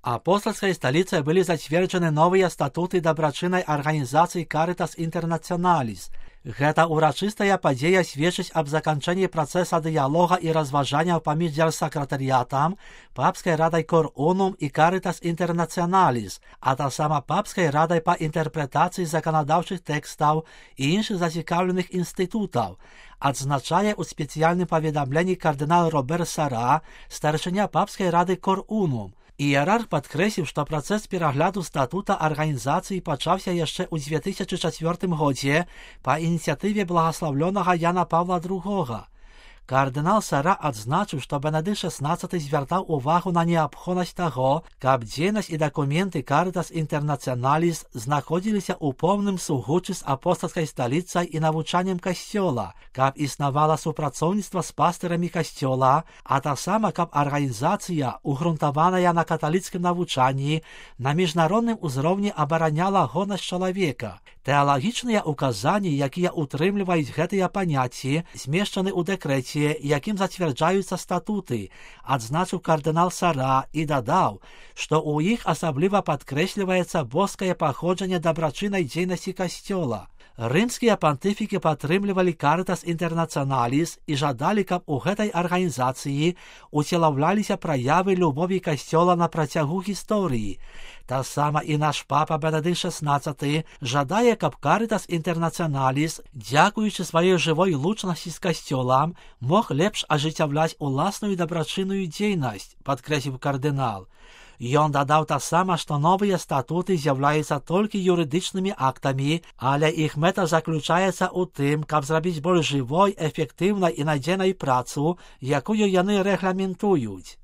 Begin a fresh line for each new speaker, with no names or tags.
Апостольской столицей были затверджены новые статуты добрачынной организации Caritas Internationalis. Гэта урачыстая падзея сведчыць аб заканчэнні працэса дыялога і разважанняў паміж дзяржсакратарыятам, папскай радай Cor Unum і Caritas Internationalis, а таксама папскай радай па інтэрпрэтацыі заканадаўчых тэкстаў і іншых зацікаўленых інстытутаў, адзначае ў спецыяльным паведамленні кардынал Робер Сара, старшыня папскай рады Cor Unum. Іерарх падкрэсліў, што працэс перагляду статута арганізацыі пачаўся яшчэ ў 2004 годзе па ініцыятыве благаслаўлёнага Яна Павла II. Кардынал Сара адзначыў, што Бенедыкт XVI звяртаў увагу на неабходнасць таго, каб дзейнасць і дакументы Caritas Internationalis знаходзіліся ў поўным сугуччы з апостальскай сталіцай і навучаннем касцёла, каб існавала супрацоўніцтва з пастырамі касцёла, а таксама каб арганізацыя, угрунтаваная на каталіцкім навучанні, на міжнародным узроўні абараняла годнасць чалавека. Тэалагічныя ўказанні, якія ўтрымліваюць гэтыя паняцці, змешчаны ў дэкрэце, якім зацвярджаюцца статуты, адзначыў кардынал Сара і дадаў, што ў іх асабліва падкрэсліваецца боскае паходжанне дабрачыннай дзейнасці касцёла. Рымскія пантыфікі падтрымлівалі Caritas Internationalis і жадалі, каб у гэтай арганізацыі уцелаўляліся праявы любові касцёла на працягу гісторыі. Таксама і наш папа Бенедыкт XVI жадае, каб Caritas Internationalis, дзякуючы сваёй жывой лучнасці з касцёлам, мог лепш ажыццяўляць уласную дабрачынную дзейнасць, падкрэсліў кардынал. Ён дадаў таксама, што новыя статуты з'яўляюцца толькі юрыдычнымі актамі, але іх мэта заключаецца ў тым, каб зрабіць больш жывой, эфектыўнай і надзейнай працу, якую яны рэгламентуюць.